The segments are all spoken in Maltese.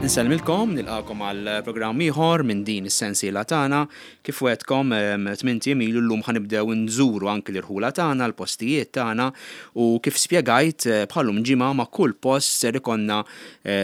Insellmilkom, nilqakom għal programm ieħor minn din is-sensiela tagħna. Kif wegħedtkom tmint ijiem ilu llum ħa nibdew nżuru anki l-irħula tagħna, l-postijiet tagħna u kif spjegajt bħal-lum ġimgħa ma' kull post ser ikollna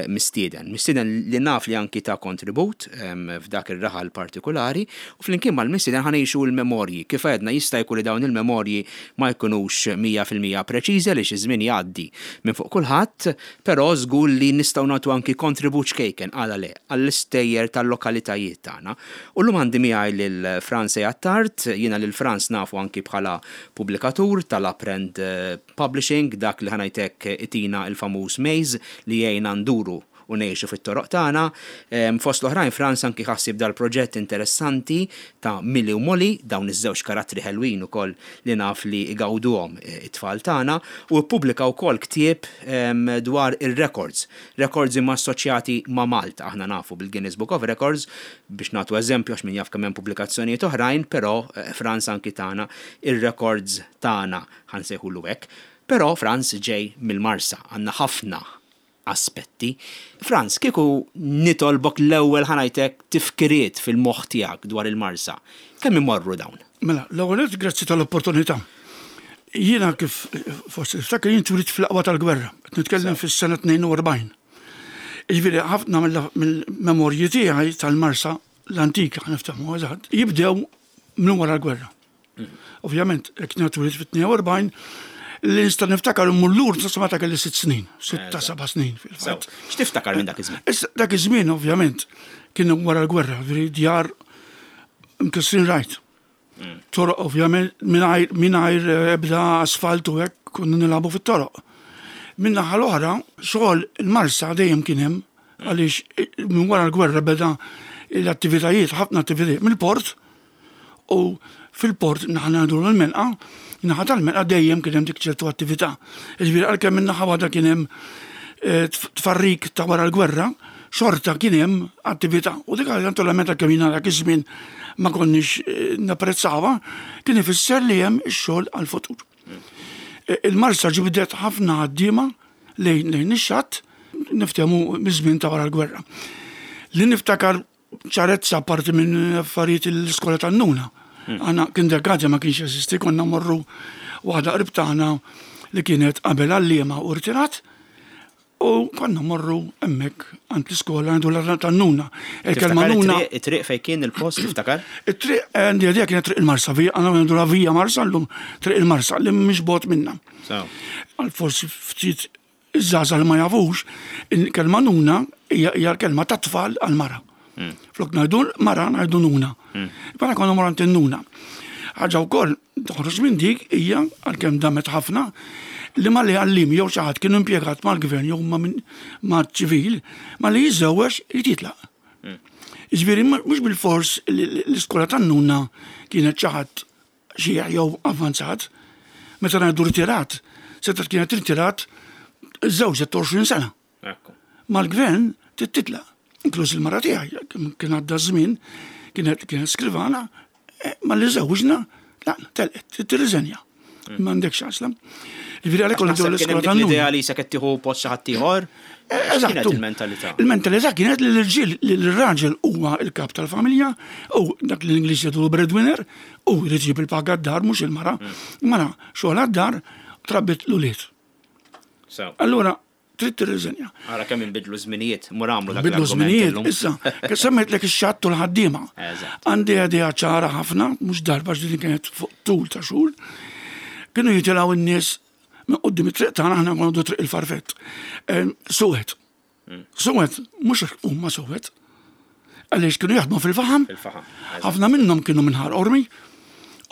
mistieden. Mistieden li naf li anki ta kontribut f'dak ir-raħal partikulari u flimkien mal-mistieden ħa ngħixu l-memorji. Kif għedna jista' jkun li dawn il-memorji ma jkunux 100% preċiżi għaliex iż-żmien jgħaddi minn fuq kulħadd, però żgur li nistgħu nagħtu anki kontribut ċkejken, għala le, għall-istejjer tal-lokalitajiet tagħna. U llum għandi miegħi lil Frans A. Attard, jiena lil Frans nafu anki bħala pubblikatur tal-Aprend Publishing, dak li ħa ngħid hekk itina l-famuż maze li jgħinna nduru u ngħixu fit-toroq tagħna. Fost l-oħrajn Frans anki ħa ħsieb dal-proġett interessanti ta' Milly u Molly, dawn iż-żewġ karattri ħelwin ukoll li naf li igawduhom it-tfal tagħna, u ppubblika wkoll ktieb dwar ir-rekords, rekords imma assoċjati ma' Malta. Aħna nafu bil-Guinness Book of Records, biex nagħtu eżempju għax min jaf kemm hemm pubblikazzjonijiet oħrajn, però Frans anki tana ir-rekords tagħna. ħa nsejħulu hekk. Però Frans ġej mill-Marsa, għandna ħafna aspetti. Frans, kieku nitolbok l-ewwel ħa ngħid hekk tifkiriet fil-moħħ tiegħek dwar il-Marsa, kemm imorru dawn? Mela, l-ewwel nett grazzi tal-opportunità. Jiena kif forsi tiftakar jien twilidt fl-aqwa tal-gwerra, qed nitkellem fis-sena 42. Jiġifieri ħafna mill-memorji tiegħi tal-Marsa l-antika, ħa niftehmu eżatt, jibdew minn wara l-gwerra. Ovvjament, jekk jiena twilidt fit-42, li nista' niftakar immur lur sa meta kelli sitt snin, sitta seba' snin fil-fatt. X'tiftakar minn dak iż-żmien? Issa dak iż-żmien ovvjament kien wara l-gwerra, ġifieri djar mkissrin rajt. Mm. Toroq ovvjament mingħajr eh, ebda asfalt u hekk konna nilagħbu fit-toroq. Min naħa l-oħra, xogħol il-Marsa dejjem kien hemm mm. għaliex eh, minn wara l-gwerra beda l-attivitajiet, ħafna attivitajiet mill-port U fil-port naħa ngħidu l-menqa, naħa tal-menqa dejjem kien hemm dik ċertu attività. Jiġifieri għalkemm minn naħa waħda kien hemm eh, tfarrik ta' wara l-gwerra, xorta kien hemm attività. U dik naturalment għalkemm jiena dak iż-żmien ma konniex eh, napprezzawha, kien ifisser li hemm ix-xogħol għall-futur. Eh, il-Marsa ġibdet ħafna ħaddiema lejn lejn ix-xatt, niftehmu miż-żmien ta' wara l-gwerra. Li niftakar ċarezza parti minn affarijiet l-iskola tan-nuna. Hmm. Għana kindergarten ma kienx jeżisti, konna morru waħda qrib tagħna li kienet qabel għalliema u rtirat u konna morru hemmhekk għand l-iskola għandu l tan-nuna. Il-kelma nuna. It-triq fejn kien il-post tiftakar? It-triq eh, għandi għadija kienet triq il-Marsa, vija għandna għandu la vija Marsa llum triq il-Marsa li mhix bot minna. Għal forsi ftit Iż-żgħażagħ li ma jafux, il-kelma nuna hija l-kelma tat-tfal għall-mara. Hmm. Flok ngħidu mara ngħidu nuna. Hmm. Mara konna morant nuna. Ħaġa wkoll toħroġ minn dik hija għalkemm damet ħafna li ma li għallim jew xi ħadd kienu impjegat mal-gvern jew ma' ċivil ma li jiżżewweġ irid jitlaq. Hmm. Jiġifieri mhux bil-fors l-iskola tan-nuna kienet xi ħadd xiħ jew avvanzat, meta ngħidu rtirat, setgħet kienet irtirat żewġ 20 sena. Mal-gvern titlaq, inkluż il-mara tiegħi, kien għadda żmien, kienet kienet skrivana, eh, ma li żewġna, la, telqet, tirriżenja. Mm. M'għandekx għażla. Ġifieri għalhekk konna l-iskola tan L-idea li se qed tieħu post xi ħadd ieħor. Eh, eżatt. Kienet il-mentalità. Il-mentalità kienet li l-irġiel li l-raġel huwa l-kap tal-familja u dak li l-Ingliż jgħidu breadwinner u jrid iġib il-paga d-dar mhux il-mara. Mm. Mara xogħol għad-dar trabbit l-ulied. Allura trid tirriżenja. Ara kemm inbidlu żminijiet, mur għamlu dak Bidlu żminijiet, issa, kif semmejtlek ix-xatt u l-ħaddiema. Għandi idea ċara ħafna, mhux darba ġdidin kienet fuq tul ta' xhur. Kienu jitilgħu n-nies minn quddiem it-triq tagħna aħna konna triq il-farfett. Suwed. Hmm. Suwed, mhux huma suwed. Għaliex kienu jaħdmu fil-faħam. Ħafna minnhom kienu minn Ħar Qormi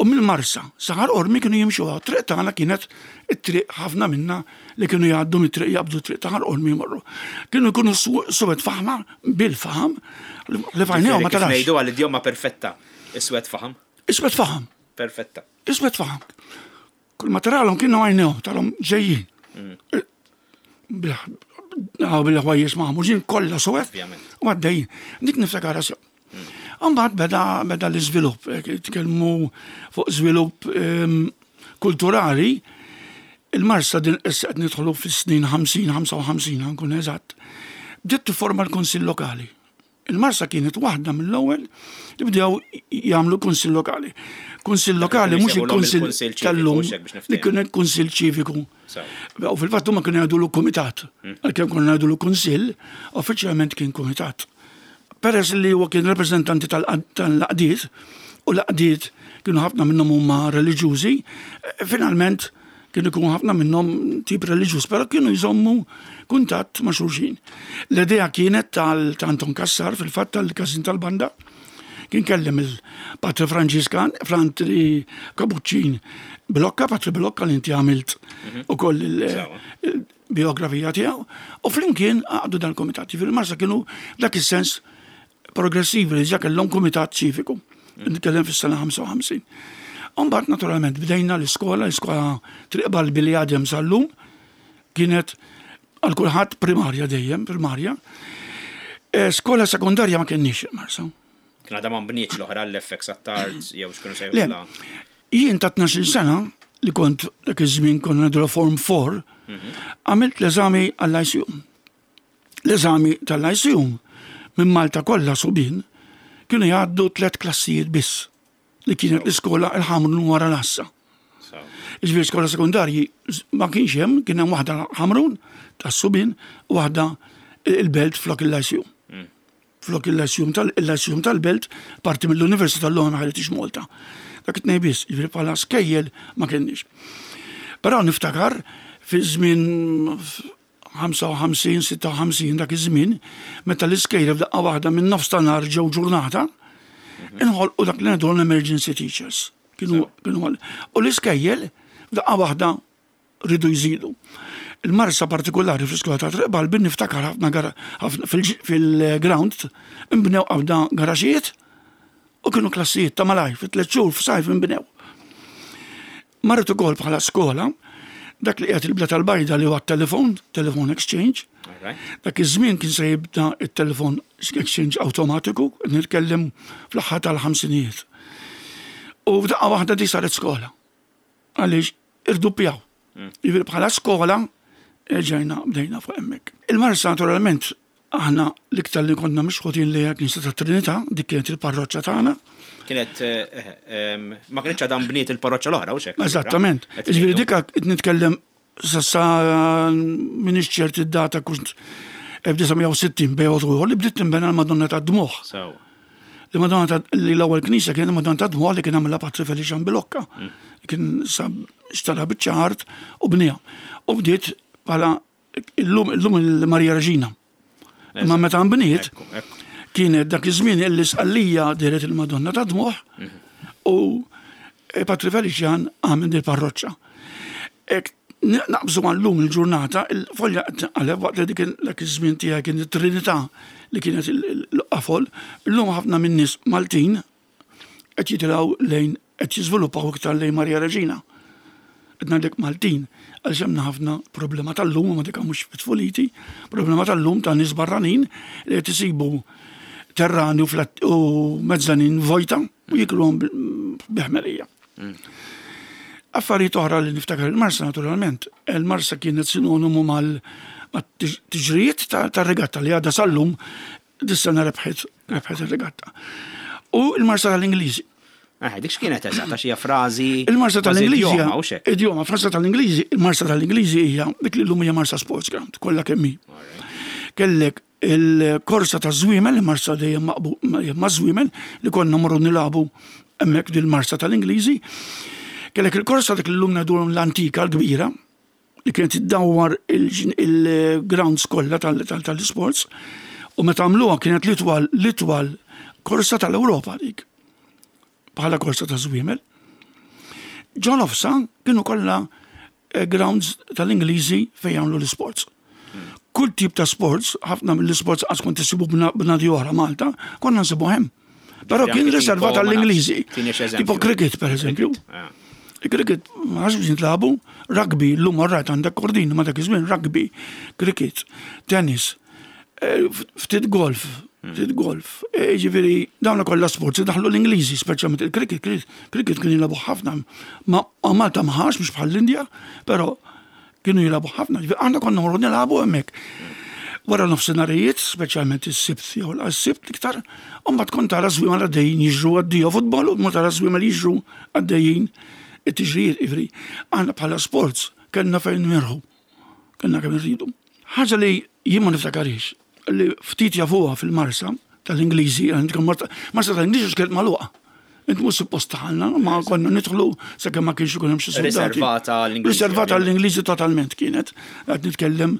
u mill-Marsa sa Ħar Qormi kienu jimxu għaw. Triq tagħna kienet it-triq ħafna minna li kienu jgħaddu mit-triq jaqbdu triq ta' Ħar Qormi jmorru. Kienu jkunu suwed faħma bil-faħam li fajnejhom ma tarax. Ngħidu għall-idjoma perfetta, iswed faħam. Iswed faħam. Perfetta. Iswed faħam. Kull ma taralhom kienu għajnejhom tarhom ġejjin. Mm. Bil-ħwajjeġ maħmuġin kollha suwed u għaddejjin. Dik niftakara sew. Mm. Mbagħad beda beda l-iżvilupp, eh, tkellmu fuq żvilupp ehm, kulturali, il-Marsa din issa qed nidħlu fis-snin 50, 55 nkun eżatt. Bdiet tifforma l-Kunsill Lokali. Il-Marsa kienet waħda mill-ewwel li bdew jagħmlu kunsill lokali. Kunsill lokali mhux il-kunsill tal-lum li kien kunsill ċiviku. U fil-fatt huma kienu jgħidulu kumitat. Għalkemm konna ngħidulu kunsill, uffiċjalment kien kumitat. Peress li huwa kien rappreżentanti tal-għaqdiet u l-għaqdiet kienu ħafna minnhom huma reliġjużi, finalment Kienu jkunu ħafna minnhom tip reliġjuż, però kienu jżommu kuntatt ma' xulxin. L-idea kienet tal ta' Anton Cassar fil-fatt tal-każin tal-banda, kien kellem il-Patri Franġiskan, Frantri Kapuċċin Bilocca, Patri Bilocca li inti għamilt mhm. ukoll il-biografija tiegħu, u flimkien għaqdu dal-komitat. Jiġifieri Marsa kienu dak is-sens progressivi li ġa kellhom kumitat ċiviku. Nitkellem fis-sena 55. Umbagħad naturalment bdejna l-iskola, l-iskola Triq Balbi li għadhem sal-lum kienet għal kulħadd primarja dejjem, primarja. Eh, skola sekondarja ma kienniex Marsa. Kien għadha ma nbnietx l-oħra l-FX Attard jew x'kienu sejħulha. Jien ta' 12 sena li kont dak iż-żmien konna ngħidu form 4, mhm. għamilt l-eżami għall-ICU. L-eżami tal-Lyceum minn Malta kollha subien kienu jgħaddu tlett klassijiet biss li kienet l-iskola il-Ħamrun wara l-Għassa. Jiġifieri skola sekondarji ma kienx hemm, kien hemm waħda Ħamrun tas-subien u waħda il-Belt flok il-Lyceum. Mm. Flok il-Lyceum tal-Lyceum tal-Belt parti mill-Università l-lum ma ħaritix Malta. Dak it-tnejn biss, jiġifieri bħala skejjel ma kienx. Però niftakar fi żmien 55, 56 dak iż-żmien, meta l-iskejjel f'daqqa waħda minn nofs ta' nhar ġew ġurnata, inħolqu dak li ngħidu l-emergency teachers. Kienu kienu u l-iskejjel f'daqqa waħda ridu jżidu. Il-marsa partikolari fl-iskola ta' Triq Balbi niftakar ħafna fil-ground inbnew qabda garaxijiet u kienu klassijiet ta' malajr fi tliet xhur f'sajf inbnew. Marret ukoll bħala skola dak li qiegħed il-Bla tal-Bajda li huwa t-telefon, telephone exchange. Dak iż-żmien kien se jibda t-telefon exchange awtomatiku, qed nitkellem fl-aħħar tal-ħamsinijiet. U f'daqqa waħda di saret skola. Għaliex irduppjaw. Mm. Jiġifieri bħala skola ġejna bdejna fuq hemmhekk. Il-Marsa naturalment Aħna l-iktar li konna mixħutin lejha Knisja tat-Trinità, dik kienet il-parroċċa tagħna. Kienet, ma kinitx għadha nbniet il-parroċċa l-oħra, hux hekk? Eżattament. Jiġifieri dik qed nitkellem sa m'iniex ċert id-data kont 1960 bejn u ieħor li bdiet tinbena l-Madonna tad-Dmugħ. Sew. Li Madonna ta' li l-ewwel knisja kienet Madonna tad-Dmugħ li kien għamilha Patri Felician Bilocca. Mm. Kien sa xtara biċċa art u bniha. U bdiet bħala Illum illum il-Marija Reġina. Imma meta nbniet kienet dak iż-żmien illi Sqallija dehret il-Madonna ta' Dmugħ mhm. u eh, Patri Felician għamel il-parroċċa. Naqbżu għallum il-ġurnata, il-folja għaleb waqt li dik dak iż-żmien tiegħi kien it-Trinità li kienet il-qafol, illum ħafna min-nies Maltin qed jitilgħu lejn qed jiżviluppaw iktar lejn Marija Reġina. Qed ngħidlek Maltin għaliex hemm ħafna problema tal-lum ma dik mhux fit-tfuliti, problema tal-lum ta' nies barranin li qed isibu terrani u mezzanin vojta u jikluhom biħmerija. Mm. Affarijiet oħra li niftakar il-Marsa naturalment, il-Marsa kienet sinonimu mal-tiġrijiet tar-regatta li għadha sal-lum Dis-sena rebħet, rebħet ir-regatta. U il-Marsa tal-Ingliżi. Eh, dik x'kienet eżatt għax hija frażi. Il-Marsa tal-Ingliżi. Idjoma, frażi tal-Ingliżi, il-Marsa tal-Ingliżi hija dik li llum hija Marsa Sports Ground, kollha kemm hi. Kellek il-korsa ta' żwiemel, il-Marsa dejjem ma' żwiemel li konna morru nilagħbu hemmhekk dil-Marsa tal-Ingliżi. Kellek il-korsa dik li llum ngħidulhom l-antika l-kbira, li kienet iddawwar il-grounds kollha tal-isports u meta għamluha kienet l-itwal l-itwal korsa tal-Ewropa dik bħala korsa ta' żwiemel. Ġo nofsa kienu kollha eh, grounds tal-Ingliżi fejn jagħmlu l-isports. Kull tip ta' sports, ħafna mill-isports għas kont isibu b'nadi oħra Malta, konna nsibu hemm. Però kien riservat għall-Ingliżi. Tipo cricket, per eżempju. Ah. Cricket, ma nafx biex nitlabu, rugby, l-lum rajt għandek kordin, ma dak iż-żmien rugby, cricket, tennis, eh, ftit golf, hmm. ftit golf. Eh, ġifieri dawn kollha sports daħlu l-Ingliżi, speċjalment il-cricket, cricket kien jilagħbu ħafna. Ma Malta ma ħax mhux bħall-Indja, però kienu jilagħbu ħafna, ġifieri aħna konna morru nilagħbu hemmhekk. Wara nofsinharijiet, speċjalment is-Sibt jew l-Sibt iktar, u mbagħad kont tara żwiemel għaddejjin jiġru għaddija futbol u tmur tara żwiemel jiġru għaddejjin it-tiġrijiet jiġifieri aħna bħala sports kellna fejn nmirħu. Kellna kemm irridu. Ħaġa li jien ma niftakarhiex, li ftit jafuha fil-Marsa tal-Ingliżi, Marsa tal-Ingliżi x'kienet magħluqa. Int mhux suppost taħalna, ma konna nidħlu sakemm ma kienx ikun hemm xi soldati. Riservata għall-Ingliżi. Riservata għall-Ingliżi totalment kienet. Qed nitkellem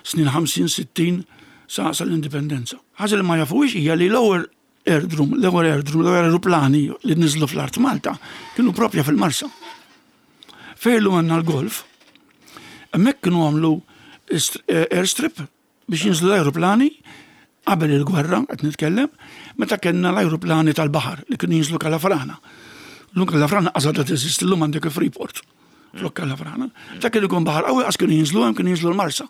snin 50, 60 sa l-indipendenza. Ħaġa li ma jafuhiex hija li l-ewwel airdroom, l-ewwel airdroom, l-ewwel aeroplani li niżlu fl-art Malta kienu propja fil-Marsa. Fejn illum għandna l-golf, hemmhekk kienu għamlu eh, airstrip biex jinżlu l-ajruplani qabel il-gwerra, qed nitkellem, meta kellna l-ajruplani tal-baħar li kienu jinżlu Kalafrana. L-lum Kalafrana qasad teżisti l-lum għandek il-Freeport. Flok Kalafrana. Ta' kien ikun baħar qawwi qas kienu jinżlu hemm kienu jinżlu l-Marsa.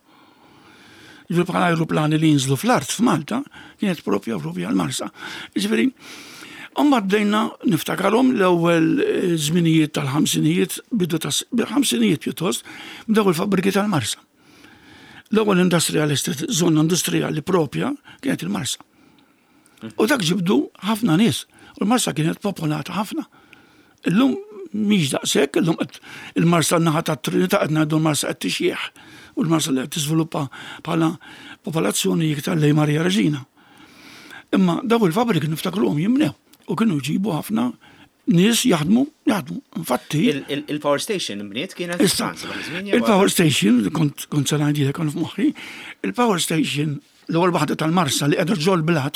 Ġifieri bħala ajruplani li jinżlu fl-art f'Malta kienet propja propja l-Marsa. Ġifieri, Imbagħad bdejna niftakarhom l-ewwel eh, żminijiet tal-ħamsinijiet, bidu ta' ħamsinijiet pjuttost, bdew il-fabbriki tal-Marsa. L-ewwel industrial estate, żona industrijali propja, kienet il-Marsa. U dak ġibdu ħafna nies. U l-Marsa kienet popolata ħafna. Illum mhix daqshekk, illum il-Marsa naħa ta' Trinità qed ngħidu l-Marsa qed tixjieħ u l-Marsa li qed tiżviluppa bħala popolazzjoni iktar lejn Marija Reġina. Imma daw il-fabbriki niftakruhom jimnew u kienu jġibu ħafna nies jaħdmu, jaħdmu. Infatti. Il-power station imbniet kienet Issa, il-power station, kont kont se ngħidilek kont f'moħħi, il-power station l-ewwel waħda tal-Marsa li qiegħda ġol blat,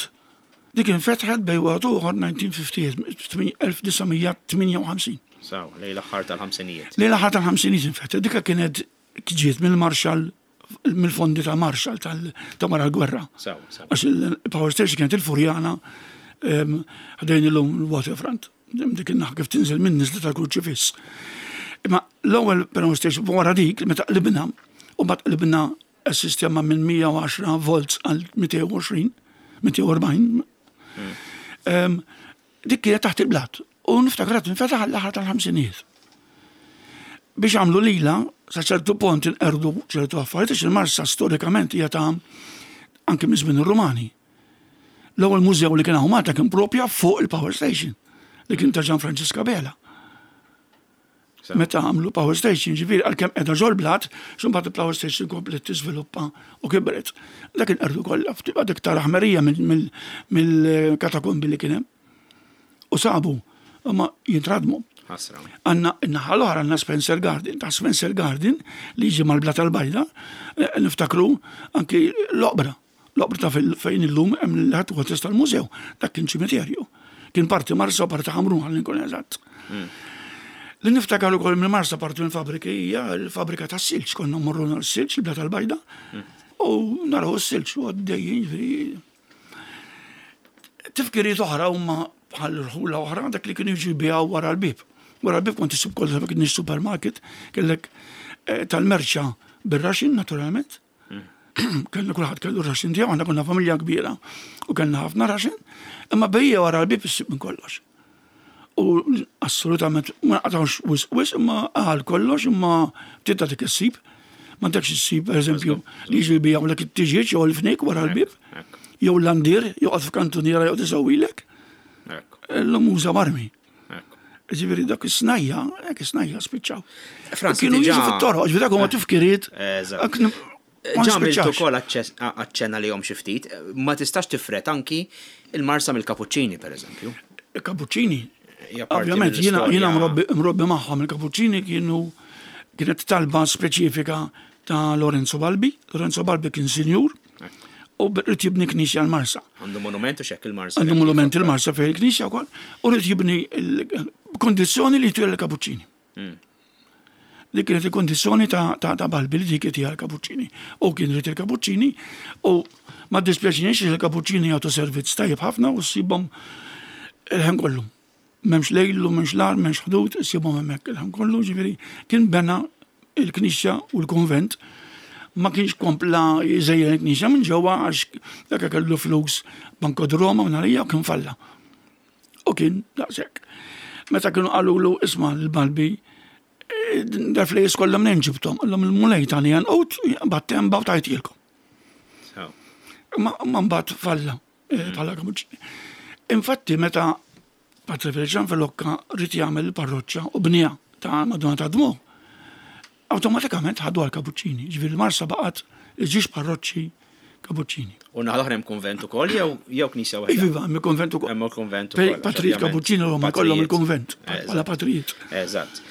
dik infetħet bejn wieħed u ieħor 1958. Saw, lejn l-aħħar tal-ħamsinijiet. Lejn l-aħħar tal-ħamsinijiet infetħet. Dika kienet ġiet mill-Marshall mill-fondi ta' Marshall ta' wara l-gwerra. Għax il-power station kienet il-Furjana ħdejn illum il-waterfront. Dik in-naħa kif tinżel minn niżla tal-Kurċifiss. Imma l-ewwel power station wara dik meta qlibna u mbagħad qlibna s-sistema minn 110 volts għal 220, 240. Dik kienet taħt il-blat u niftakar qed tinfetaħ għall-aħħar tal-ħamsinijiet. Biex għamlu lila, sa ċertu pont inqerdu ċertu affarijiet għax il-Marsa storikament hija ta' anke minn żmien ir-Rumani. L-ewwel mużew li kien hawn Malta kien propja fuq il-Power Station li kien ta' Ġan Franġisk Abela. Meta għamlu power station, ġifieri għalkemm qiegħda ġol-blat, x'imbagħad il-power station kompliet tiżviluppa u kibret. Dak inqerdu kollha, ftit iktar aħmerija mill-katakombi li kien hemm. U sabu, imma jintradmu. Ħasra. Għandna n-naħa l-oħra għandna Spencer Garden, ta' Spencer Garden li jiġi mal-blat tal-bajda, eh, niftakru anki l-oqbra. L-oqbra ta' fejn illum hemm l-headquarters tal-mużew, dak kien ċimiterju. Kien parti Marsa u parti Ħamrun ħalli nkun eżatt. Hmm. Li niftakar ukoll minn Marsa parti minn fabriki hija l-fabrika tas-silġ, konna mmorru nhar silġ il-bla tal-bajda hmm. u naraw is-silġ u għaddejjin ġifieri. Tifkiriet oħra huma bħal rħula oħra dak li kienu jiġu jbiegħu wara l-bib. Wara l-bib kont isib kollox kien supermarket kellek eh, tal-merċa bir-raxin naturalment. Kellna kulħadd kellu raxin tiegħu, aħna konna familja kbira u kellna ħafna raxin, imma bejja wara l-bib issib minn kollox. U assolutament ma naqtawx wis wis imma għal kollox imma ftit ta' dik issib. Ma dekx issib, per eżempju, li jiġu jbijaw lek it-tiġieġ jew l-fnik wara l-bib, jew l-landir, joqgħod f'kantuniera joqgħod isewwilek. L-lum uża marmi. Ġifieri dak is-snajja, dak is-snajja spiċċaw. Franz, kienu jiġu fit-toroq, ġifieri dak huma tifkiriet. Ġamilt ukoll aċċenna li xi ftit, ma tistax tifret anki il-Marsa mill-Kapuċċini pereżempju. Il-Kapuċċini. Ovvjament jiena jiena mrobbi magħhom il-Kapuċċini kienu kienet talba speċifika ta' Lorenzo Balbi. Lorenzo Balbi kien sinjur u rrid jibni knisja l-Marsa. Għandu monument u xekk il-Marsa. Għandu monument il-Marsa fejn il-knisja wkoll u rrid jibni kondizzjoni li jtira l-kapuċċini. Hmm. Dik kienet il-kondizzjoni ta' Balbi li dik jtira l-kapuċċini. U kien rrid il-kapuċċini u ma dispjaċinix il-kapuċċini jagħtu servizz tajjeb ħafna u ssibhom il-ħin kollu. M'hemmx lejl u m'hemmx nar, m'hemmx ħdud, issibhom hemmhekk il-ħin kollu, ġifieri kien bena il-knisja u l-kunvent ma kienx kompla jżejjen il-knisja minn ġewwa għax dak kellu flus Banco di Roma minn għalija u kien falla. U kien daqshekk. Meta kienu qalulu isma' l-Balbi eh, dal-flejjes kollha minn ġibthom, qallhom il-Mulej tani għanqut, battemba u tajtilkom. Ma mbagħad falla eh, bħala kapuċċini. Infatti meta Patri Feliċan Filokka rrid jagħmel il-parroċċa u bniha ta' Madonna ta' Dmu, awtomatikament ħadu għal kapuċċini. Ġifieri l-Marsa baqgħet iġiex parroċċi kapuċċini. U naħa l-oħra hemm kunvent ukoll jew jew knisja waħda? Iva, hemm il-kunvent ukoll. Hemm il-kunvent ukoll. Patrijiet kapuċċini huma kollhom il-kunvent bħala patrijiet. Eżatt.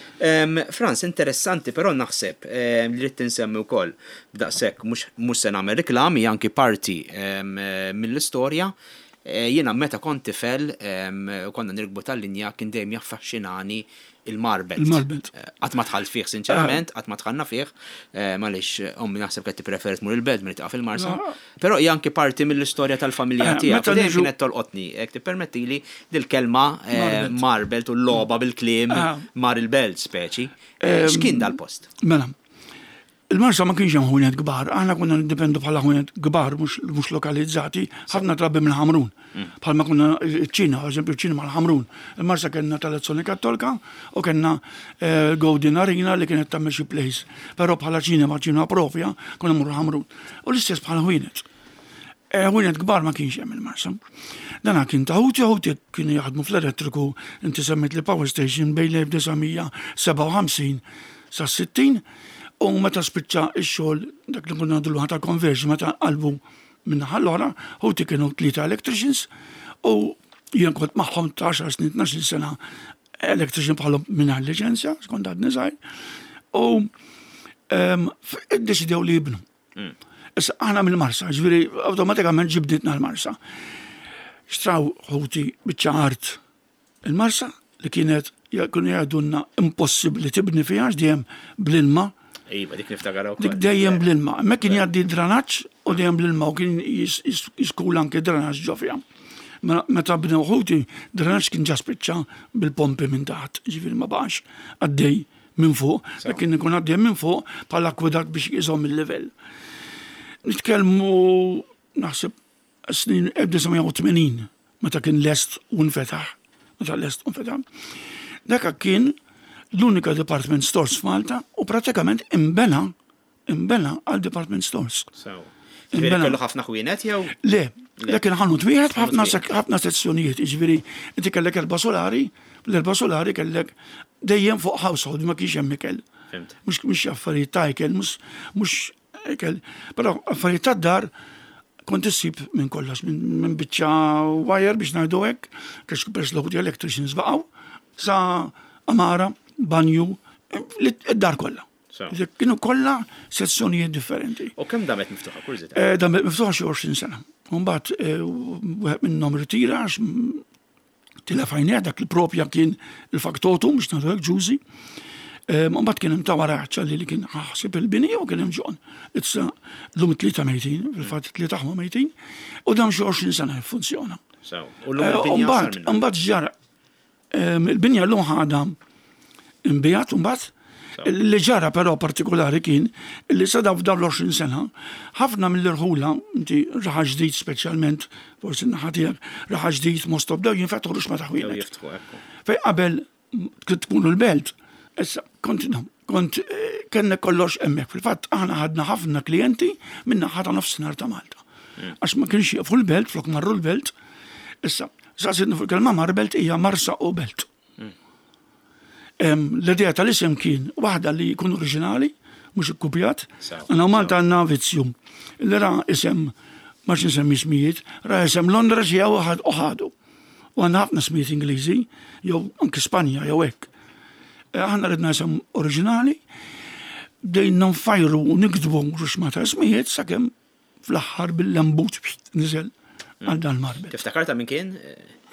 Franz, interessanti però naħseb li rrid tinsemmi wkoll b'daqshekk mhux se nagħmel reklam hija anki parti mill-istorja. Eh, jiena meta kont tifel u konna nirkbu tal-linja kien dejjem jaffaxxinani il-Marbelt. Il-Marbelt. Eh, qatt ma dħalt fih sinċerament, qatt ma dħalna fih, eh, għaliex ommi naħseb qed tippreferi tmur il-belt milli taqa' fil-Marsa. Però hija anki parti mill-istorja tal-familja tiegħek. Dejjem kienet tolqotni, jekk tippermettili dil-kelma Marbelt u l-logħba bil-kliem mar il-belt speċi. X'kien dal-post? Mela, Il-Marsa ma kienx hemm ħwienet kbar, aħna konna niddependu bħala ħwienet kbar mhux lokalizzati, ħafna drabi mill-Ħamrun. Mm. Bħalma konna ċ-Ċina, eżempju ċ-Ċina mal-Ħamrun. Il-Marsa kellna tal-Azzjoni Kattolka u kellna eh, Golden Arena li kienet tagħmel xi place. Però bħala ċinema, ċinema propja, konna mmorru Ħamrun. U l-istess bħala ħwienet. Eh, ħwienet kbar ma kienx hemm il-Marsa. Dana kien ta' ħuti, ħuti kienu jaħdmu fl-elettriku, inti semmit li power station bejn l-1957 sas-60 u meta spiċċa x-xogħol dak li konna ngħidulu ta' conversion meta qalbu min-naħa l-oħra, ħuti kienu tlieta electricians u jien kont magħhom ta' 10 snin, 12 sena electrician bħalhom mingħajr liċenzja, skont għadni żgħir. U ehm, iddeċidew li jibnu. Mm. Issa aħna mill-Marsa, ġifieri awtomatikament ġibditna l-Marsa. Xtraw ħuti biċċa art Il-Marsa li kienet kienu jgħidulna impossibbli tibni fiha għax dejjem bl-ilma. Iva, dik niftakar ukoll. Dik dejjem bl-ilma. Hemmhekk kien jgħaddi dranaġġ u dejjem bl-ilma u kien jiskula anke dranaġġ ġo fiha. Mela, meta bnew ħuti, dranaġġ kien ġa spiċċa bil-pompi minn taħt, ġifieri ma baqax għaddej minn fuq, dak kien ikun għaddej minn fuq bħala akwedat biex iżomm il-livell. Nitkellmu naħseb Snin 1980 meta kien lest u nfetaħ, meta lest u nfetaħ, dak kien l-unika department stores f'Malta u pratikament imbena imbena għal department stores. Ġifieri kellu ħafna ħwienet jew? Le, le kien ħanut wieħed ħafna sezzjonijiet, jiġifieri inti kellek erba' solari, l-erba' solari kellek dejjem fuq household ma kienx hemm ikel. Mhux affarijiet ta' ikel, mhux Ikel, però affarijiet tad-dar kont issib minn kollox, minn biċċa wire biex ngħidu hekk, għax peress l electricians baqgħu, sa amara, banju, id-dar kollha. Kienu kollha sezzjonijiet differenti. U kemm damet miftuħa kurżità? Eh, damet miftuħa xi 20 sena. Mbagħad eh, wieħed minnhom ritira għax Tilef għajnejh dak li propja kien il-faktotum biex nagħtu hekk ġużi. Mbagħad kien hemm ta' wara ċalli li kien ħasib il-bini u kien hemm ġon. Issa llum it-tlieta mejtin, fil-fatt it-tlieta aħwa mejtin, u dam xi 20 sena jiffunzjona. U llum il-binja sar minnha. Mbagħad ġara il-binja llum ħadha imbijat mbagħad Li ġara però partikolari kien li sa dawn l-20 sena, ħafna mill-irħula, inti Raħal Ġdid speċjalment, forsi n-naħa tiegħek, Raħal Ġdid, Mostof, bdew jinfetħu ruxma ta' ħwienet. Fejn qabel tkunu l-belt, issa kont kont eh, kellna kollox hemmhekk. Fil-fatt aħna ħadna ħafna klijenti minn naħa ta' nofsinhar ta' Malta. Hmm. Għax ma kienx jieqfu l-belt, flok marru l-belt. Issa, saqsidni fuq il-kelma Marbelt hija Marsa u Belt. L-idea tal-isem kien waħda li jkun oriġinali, mhux ikkupjat. Għandna Malta għandna vizzju. Li ra isem, ma nsemmi ismijiet, ra isem Londra xi u ħadu. U għandna ħafna ismijiet Ingliżi, jew anki Spanja, jew hekk. Eh, aħna ridna isem oriġinali, bdejna nfajru u niktbu ruxma ta' ismijiet sakemm Fl-aħħar bil-lembut niżel għal dan marbel. Tiftakar ta' min kien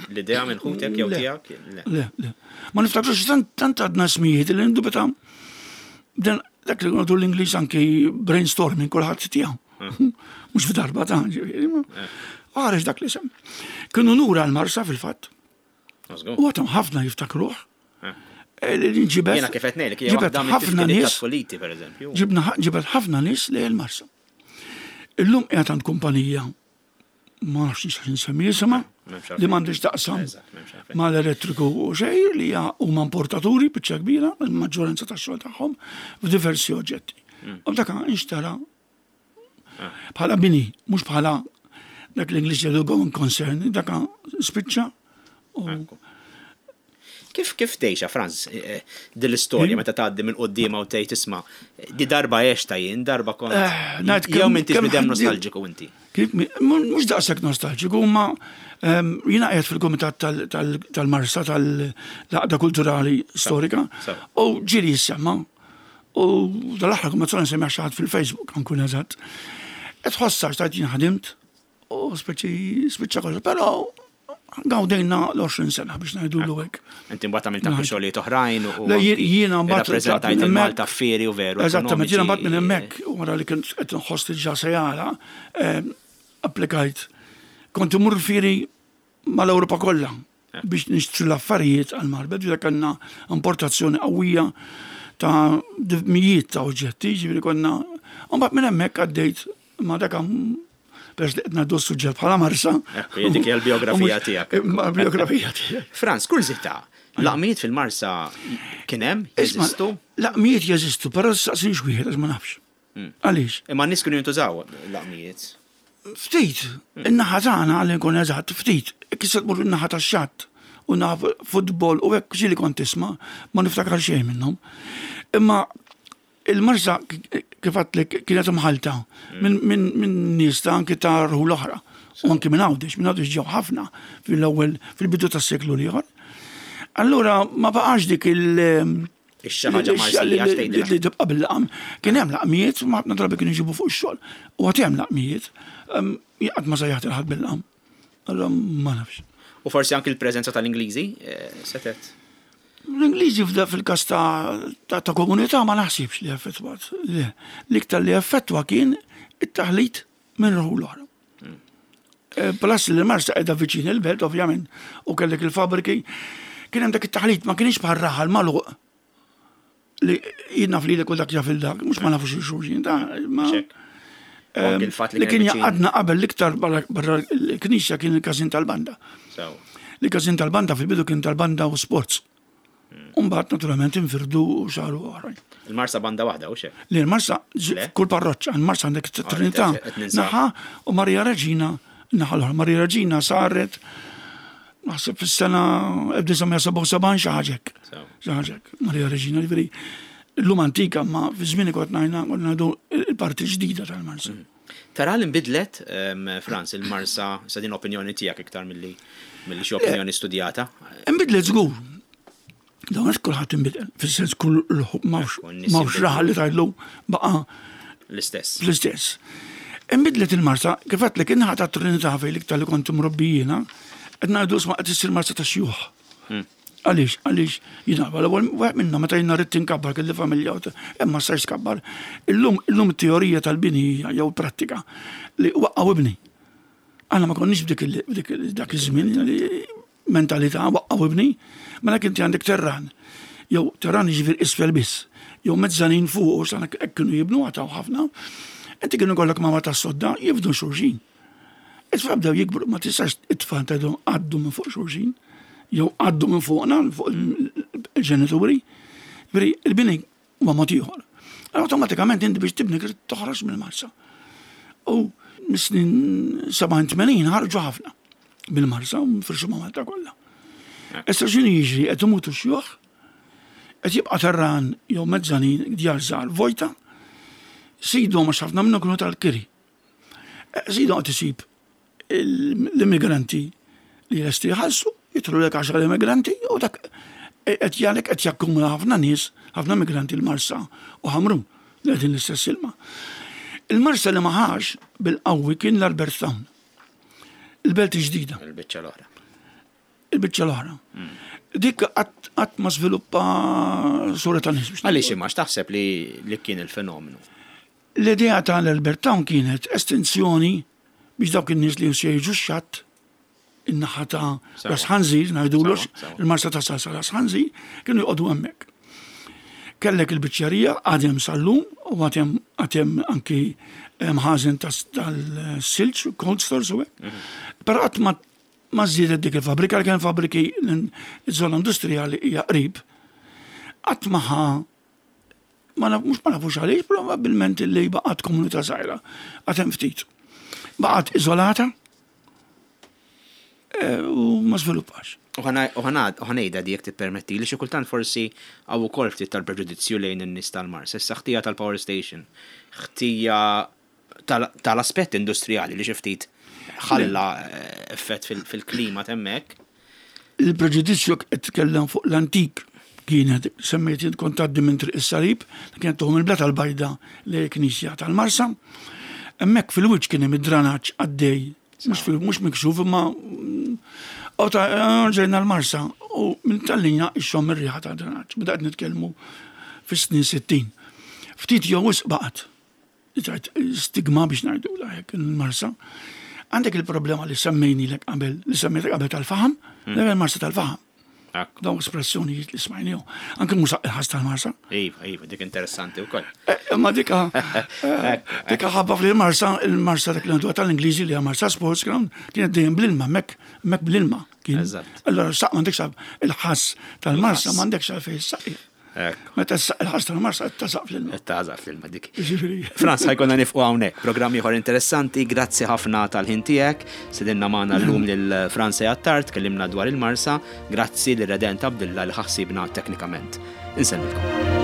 l-idea minn ħutek jew tiegħek? Le, le. Ma niftakrux tant għadna smijiet li ndubita dan dak li għadu l-Ingliż anki brainstorming kulħadd tiegħu. Hmm. Mhux f'darba ta' ġifieri. Eh. Għarex dak li sem. Kienu nura l-Marsa fil-fatt. U għatom ħafna jiftakruh. Eh, ġibet. Jena kif qed ngħidlek, ġibet ħafna nies. Politi, per eżempju. Ġibna ġibet ħafna nies li l-Marsa. Illum qiegħed għand kumpanija ma nafx nistax insemmi jisimha li m'għandix taqsam mal-elettriku u xejn li huma importaturi biċċa kbira il-maġġoranza tax-xogħol tagħhom f'diversi oġġetti. Mm. U dak inxtara ah. bħala bini, mhux bħala. Dak l-Ingliż jgħidu going concern, dak spiċċa. Kif kif tgħixha Franz eh, din l-istorja meta tgħaddi minn quddiemha u tgħid isma' di darba għexta jien, darba kont. Eh, jew m'intix bidem nostalġiku inti. Mhux daqshekk nostalġiku, ma ehm, jiena qiegħed fil-kumitat tal-Marsa tal-Laqda Kulturali Storika u ġieli jissemma u dal-aħħar kumma nsemmi xi ħadd fil-Facebook nkun eżatt. Qed tħossha x'tajt jien ħadimt U speċi spiċċa kollox, però gawdejna l-20 sena biex ngħidulu hekk. Inti mbagħad għamilt anke xogħlijiet oħrajn u jiena mbagħad rappreżentajt il-Malta fieri u veru. Eżattament, jiena mbagħad minn hemmhekk wara li kien qed inħoss li ġa se jara, ehm, applikajt. Kont imur fieri mal-Ewropa kollha biex nixtru l-affarijiet għal Marbet, ġifieri kellna importazzjoni qawwija ta' mijiet ta' oġġetti, ġifieri konna. U mbagħad minn hemmhekk għaddejt ma' dak peress li qed ngħaddu s-suġġett bħala Marsa. Ekku, dik hija l-biografija tiegħek. Biografija tiegħek. Franz, kurżità, laqmijiet fil-Marsa kien hemm, jeżistu? Laqmijiet jeżistu, però saqsinx wieħed għax ma nafx. Hmm. Għaliex? Imma n-nies kienu jintużaw laqmijiet. Ftit, in-naħa tagħna għal nkun eżatt, ftit, kif se tmur in-naħa tax-xatt u naf futbol u hekk ġieli kont tisma' ma niftakar xejn minnhom. Imma il-marsa kif għadtlek kienet imħalta minn nies ta' anki ta' rħul oħra u anki minn Għawdex, minn Għawdex ġew ħafna fil-ewwel fil-bidu tas-seklu l-ieħor. Allura ma baqax dik il- Ix-xi ħaġa Marsija tgħidilha. Li tibqa' bil-laqam. Kien hemm laqmijiet, ma ħafna drabi kienu jġibu fuq ix-xogħol. U għad hemm laqmijiet. Jien qatt ma sejjaħt il ħadd bil-laqam. Allura ma nafx. U forsi anki l-preżenza tal-Ingliżi eh, setgħet. L-Ingliżi fil-każ ta' komunità ma naħsibx li effettwat. L-iktar li effettwa kien it-taħlit minn rħul oħra. Eh, plus li l-Marsa qiegħda viċin il-belt, ovvjament, u kellek il-fabriki, kien hemm dak it-taħlit ma kienx bħal raħal magħluq li jien naf lilek u dak jaf il dak, mhux ma nafux il-xulxin, ta' ma. Ehm, li kien jaqadna qabel l-iktar barra l-knisja kien il-każin tal-banda. Li każin tal-banda fil-bidu kien tal-banda u sports. Umbat naturalment infirdu u saru oħrajn. Il-Marsa banda waħda u xek? Li l-Marsa, kull parroċċa, il-Marsa għandek ah, Trinità, naħa u Marija Reġina, naħa l-oħra. Marija Reġina saret naħseb fis-sena 1977 xi ħaġek. Xi ħaġek, Marija Reġina, ġifieri l-lum antika ma fi żmien kont ngħidna ngħidu il-parti ġdida tal-Marsa. Mm. Tara li nbidlet, ehm, Franz, il-Marsa, sa din opinjoni tiegħek iktar milli milli xi opinjoni studjata? Nbidlet żgur. Dawn qed kulħadd inbidel, fis-sens kull m'hawnx raħal li tgħidlu baqa' l-istess. L-istess. Inbidlet il-Marsa, kif għedtlek in-naħa tat-Trinità fejn l-iktar li kont imrobbi jiena, qed ngħidu isma' qed issir Marsa tax-xjuħ. Hmm. Għaliex, għaliex, jina, l-ewwel wieħed minna meta jiena rrid tinkabbar kelli familja, imma stajx tkabbar. Illum, illum it-teorija tal-bini hija jew prattika li waqqgħu ibni. Aħna ma konniex b'dik dak iż-żmien li mentalità waqqgħu ibni, mela inti għandek terran. Jew terran jiġifieri isfel biss, jew mezzanin fuq u sana hekk kienu jibnu għataw ħafna. Inti kienu kollok mama tas-sodda jibdu xulxin. It-tfal bdew jikbru, ma tistax it-tfal tgħidhom għaddu minn fuq xulxin, jew għaddu minn fuqna, fuq il-ġenituri. Ġifieri il-bini huwa mod ieħor. Awtomatikament inti biex tibni trid toħroġ mill-marsa. U mis-snin 87 ħarġu ħafna mill-marsa u nfirxu ma' Malta kollha. Issa x'inhu jiġri qed imutu xjuħ, qed jibqa' terran jew mezzanin djar żgħar vojta, sidhom għax ħafna minnhom kienu tal-kiri. Żidu qed isib l-immigranti li lesti jħallsu, jidħlu lek għaxar immigranti u dak qed jgħalek qed jakkumula ħafna nies, ħafna immigranti l-Marsa u Ħamrun li qegħdin l-istess ilma. Il-Marsa li ma ħax bil-qawwi kien l-Albert Town. Il-belt ġdida. Il-biċċa l-oħra. Il-biċċa l-oħra. Hmm. Dik qatt ma żviluppa sura ta' nies. Għaliex imma x'taħseb li kien il-fenomenu? L-idea ta' l-Albert Town kienet estensjoni biex dawk in-nies li se jiġu x-xatt, in-naħa ta' Ras Ħanżir, ngħidulu il-Marsa ta' Sasa Ras Ħanżir, kienu joqogħdu hemmhekk. Kellek il-biċċerija għad hemm sal-lum u għad hemm għad hemm anki mħażen tas-silġ, cold stores u hekk. Mhm. Però qatt ma ma żdiedet dik il-fabbrika li kien fabbriki l-żona industrijali hija qrib. Qatt ma ħa Ma naf, mhux ma nafux għaliex, probabbilment li baqgħet komunità żgħira, għad hemm ftit. Baqgħet iżolata. U ma żviluppax. U ħa ngħidha di jekk tippermetti li xi kultant forsi hawn ukoll ftit tal-preġudizzju lejn in-nies tal-Marsa. Issa ħtija tal-power station, ħtija tal-aspett industrijali li xi ftit ħalla effett fil-klima t'hemmhekk. Il-preġudizzju qed titkellem fuq l-antik kienet semmejt jien kont tgħaddi minn Triq is-Salib, kienet tuħu mill-Blata l-Bajda lejn il-Knisja tal-Marsa. Hemmhekk fil-wiċċ kien hemm id-dranaġġ għaddej, mhux miksuf imma u ta' ġejna l-Marsa u minn tal-linja ixxomm ir-riħa ta' dranaġġ. Meta qed nitkellmu fis-snin 60. Ftit jew wisq baqgħet. Stigma biex ngħidu hekk il-Marsa. Għandek il-problema li semmejnilek qabel, li semmejtek qabel tal-faħam, mm. il-Marsa tal-faħam. Dawn espressjonijiet li smajnihom. Anke mhux il-ħas tal-Marsa. Iva, iva, dik interessanti wkoll. Eh, imma dika eh, dika ħabba fil-Marsa, il-Marsa dak li għandu tal-Ingliżi li Marsa Sports Ground, kienet dejjem bl-ilma, mek, mek bl-ilma. Allora saq m'għandekx il-ħass tal-Marsa m'għandekx għalfejn saq. Meta il-ħas tal-Marsa tazaq fl-ilma. Tazaq fl-ilma dik. Franz, ħajkonna nifqu hawnhekk. Programm ieħor interessanti, grazzi ħafna tal-ħin tiegħek. Sedinna magħna llum lil Franz Attard, tkellimna dwar il-Marsa. Grazzi lil Redent Abdilla li ħassibna teknikament. Insellmilkom.